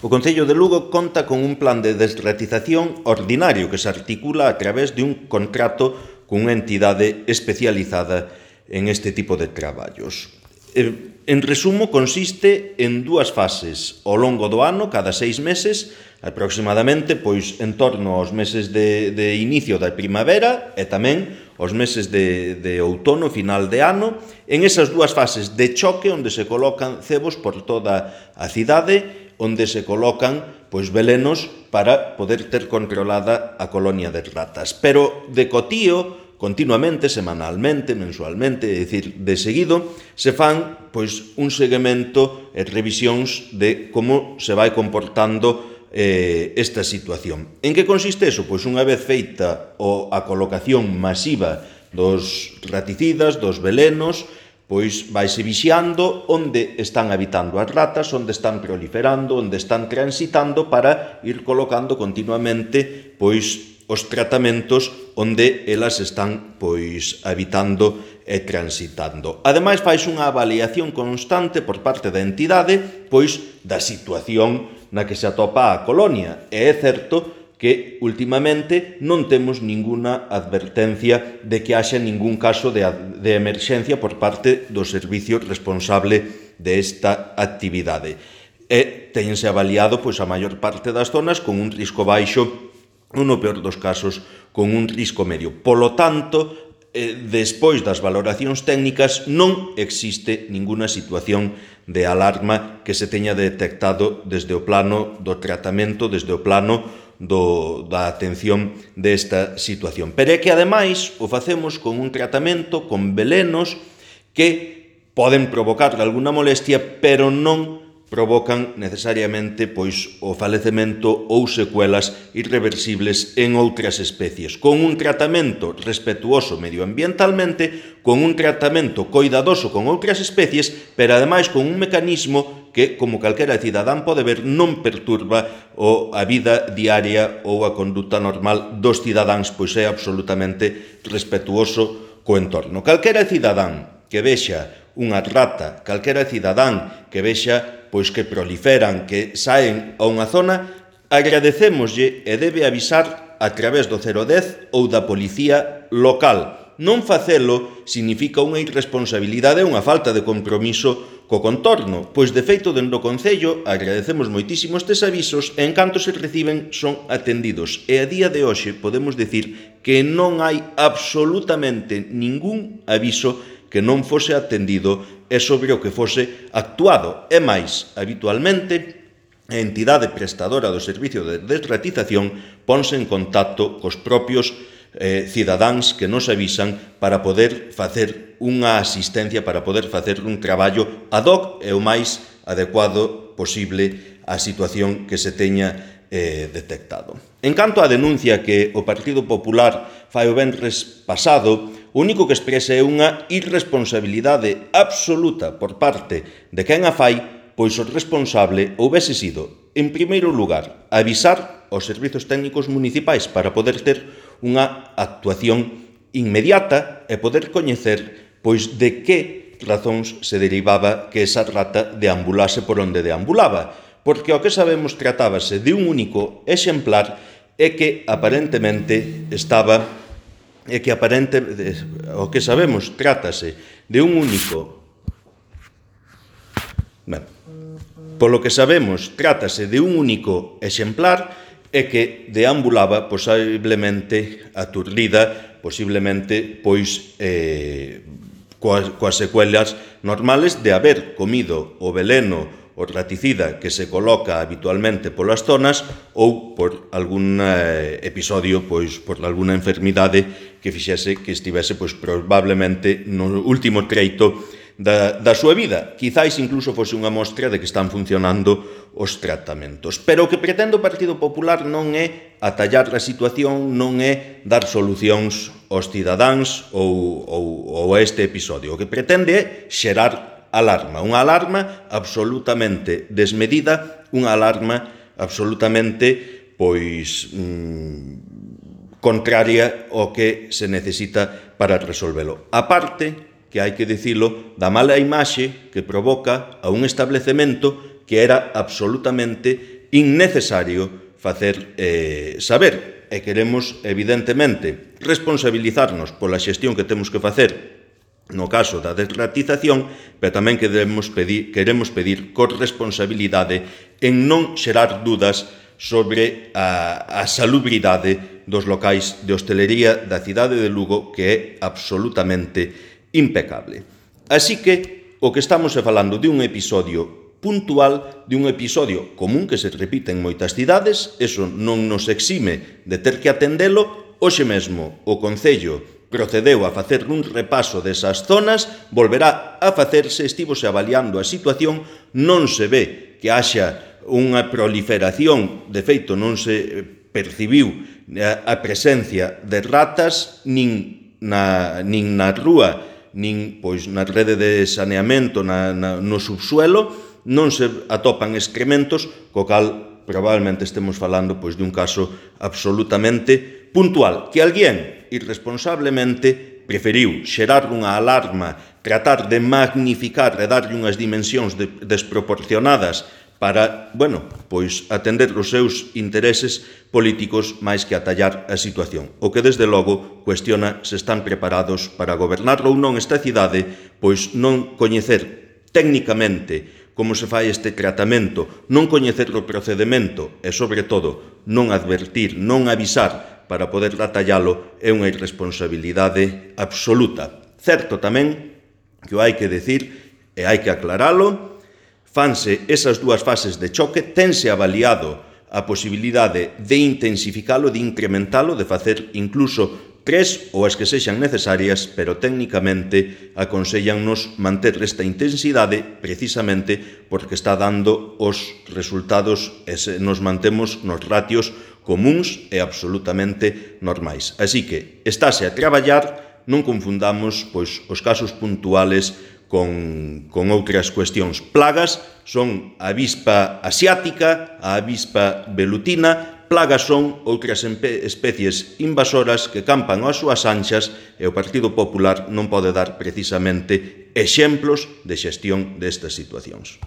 O Concello de Lugo conta con un plan de desratización ordinario que se articula a través de un contrato cunha entidade especializada en este tipo de traballos. En resumo, consiste en dúas fases ao longo do ano, cada 6 meses, aproximadamente, pois en torno aos meses de inicio da primavera e tamén aos meses de outono, final de ano, en esas dúas fases de choque onde se colocan cebos por toda a cidade, onde se colocan pois velenos para poder ter controlada a colonia de ratas. Pero de cotío, continuamente, semanalmente, mensualmente, é dicir, de seguido, se fan pois un seguimento e revisións de como se vai comportando esta situación. En que consiste eso? Pois unha vez feita a colocación masiva dos raticidas, dos velenos, pois vaise vixiando onde están habitando as ratas, onde están proliferando, onde están transitando para ir colocando continuamente pois os tratamentos onde elas están pois habitando e transitando. Ademais, faise unha avaliación constante por parte da entidade pois da situación na que se atopa a colonia. E é certo que últimamente non temos ninguna advertencia de que haxa ningún caso de emerxencia por parte do servicio responsable desta actividade. E tense avaliado pois a maior parte das zonas con un risco baixo ou, no peor dos casos, con un risco medio. Polo tanto, despois das valoracións técnicas, non existe ninguna situación de alarma que se teña detectado desde o plano do tratamento, desde o plano da atención desta situación. Pero é que, ademais, o facemos con un tratamento, con velenos que poden provocar alguna molestia, pero non provocan necesariamente pois o falecemento ou secuelas irreversibles en outras especies. Con un tratamento respetuoso medioambientalmente, con un tratamento coidadoso con outras especies, pero ademais con un mecanismo que, como calquera cidadán pode ver, non perturba a vida diaria ou a conduta normal dos cidadáns, pois é absolutamente respetuoso co entorno. Calquera cidadán que vexa unha rata, calquera cidadán que vexa pois que proliferan, que saen a unha zona, agradecémoslle e debe avisar a través do 010 ou da policía local. Non facelo significa unha irresponsabilidade e unha falta de compromiso co contorno, pois de feito dentro do Concello agradecemos moitísimo estes avisos e en canto se reciben son atendidos. E a día de hoxe podemos dicir que non hai absolutamente ningún aviso que non fose atendido e sobre o que fose actuado. E máis, habitualmente, a entidade prestadora do servicio de desratización ponse en contacto cos propios cidadáns que nos avisan para poder facer unha asistencia, para poder facer un traballo ad hoc e o máis adecuado posible á situación que se teña detectado. En canto á denuncia que o Partido Popular fai o venres pasado, o único que expresa é unha irresponsabilidade absoluta por parte de quen a fai, pois o responsable houbese sido, en primeiro lugar, avisar aos servizos técnicos municipais para poder ter unha actuación inmediata e poder coñecer pois de que razóns se derivaba que esa rata deambulase por onde deambulaba, porque o que sabemos tratábase de un único exemplar e que aparentemente o que sabemos trátase de un único polo que sabemos trátase de un único exemplar e que deambulaba posiblemente aturdida, posiblemente pois coas secuelas normales de haber comido o veleno o raticida que se coloca habitualmente polas zonas ou por algún episodio, pois por alguna enfermidade que fixese que estivese pois probablemente no último treito da súa vida. Quizáis incluso fose unha mostra de que están funcionando os tratamentos. Pero o que pretende o Partido Popular non é atallar a situación, non é dar solucións aos cidadáns ou a este episodio. O que pretende é xerar alarma, unha alarma absolutamente desmedida, unha alarma absolutamente pois contraria ao que se necesita para resolvelo. A parte, que hai que dicilo, da mala imaxe que provoca a un establecemento que era absolutamente innecesario facer saber. E queremos, evidentemente, responsabilizarnos pola xestión que temos que facer no caso da desratización, pero tamén queremos pedir corresponsabilidade en non xerar dudas sobre a salubridade dos locais de hostelería da cidade de Lugo, que é absolutamente impecable. Así que o que estamos falando de un episodio puntual, de un episodio común que se repite en moitas cidades, eso non nos exime de ter que atendelo. Hoxe mesmo o Concello procedeu a facer un repaso desas zonas, volverá a facerse, estivose avaliando a situación, non se ve que haxa unha proliferación, de feito non se percibiu a presencia de ratas nin na rúa, nin pois na rede de saneamento, no subsuelo, non se atopan excrementos, co cal probablemente estemos falando pois de un caso absolutamente puntual, que alguén irresponsablemente preferiu xerar unha alarma, tratar de magnificar e darlle unhas dimensións desproporcionadas para, pois atender os seus intereses políticos máis que atallar a situación. O que, desde logo, cuestiona se están preparados para gobernar ou non esta cidade, pois non coñecer técnicamente como se fai este tratamento, non coñecer o procedemento e, sobre todo, non advertir, non avisar para poder atallalo é unha irresponsabilidade absoluta. Certo tamén que o hai que decir e hai que aclaralo, fanse esas dúas fases de choque, tense avaliado a posibilidade de intensificalo, de incrementalo, de facer incluso 3 ou as que sexan necesarias, pero técnicamente aconsellannos manter esta intensidade precisamente porque está dando os resultados e nos mantemos nos ratios comuns e absolutamente normais. Así que estáse a traballar, non confundamos pois os casos puntuales con outras cuestións. Plagas son a avispa asiática, a avispa velutina. Plagas son outras especies invasoras que campan ás súas anchas e o Partido Popular non pode dar precisamente exemplos de xestión destas situacións.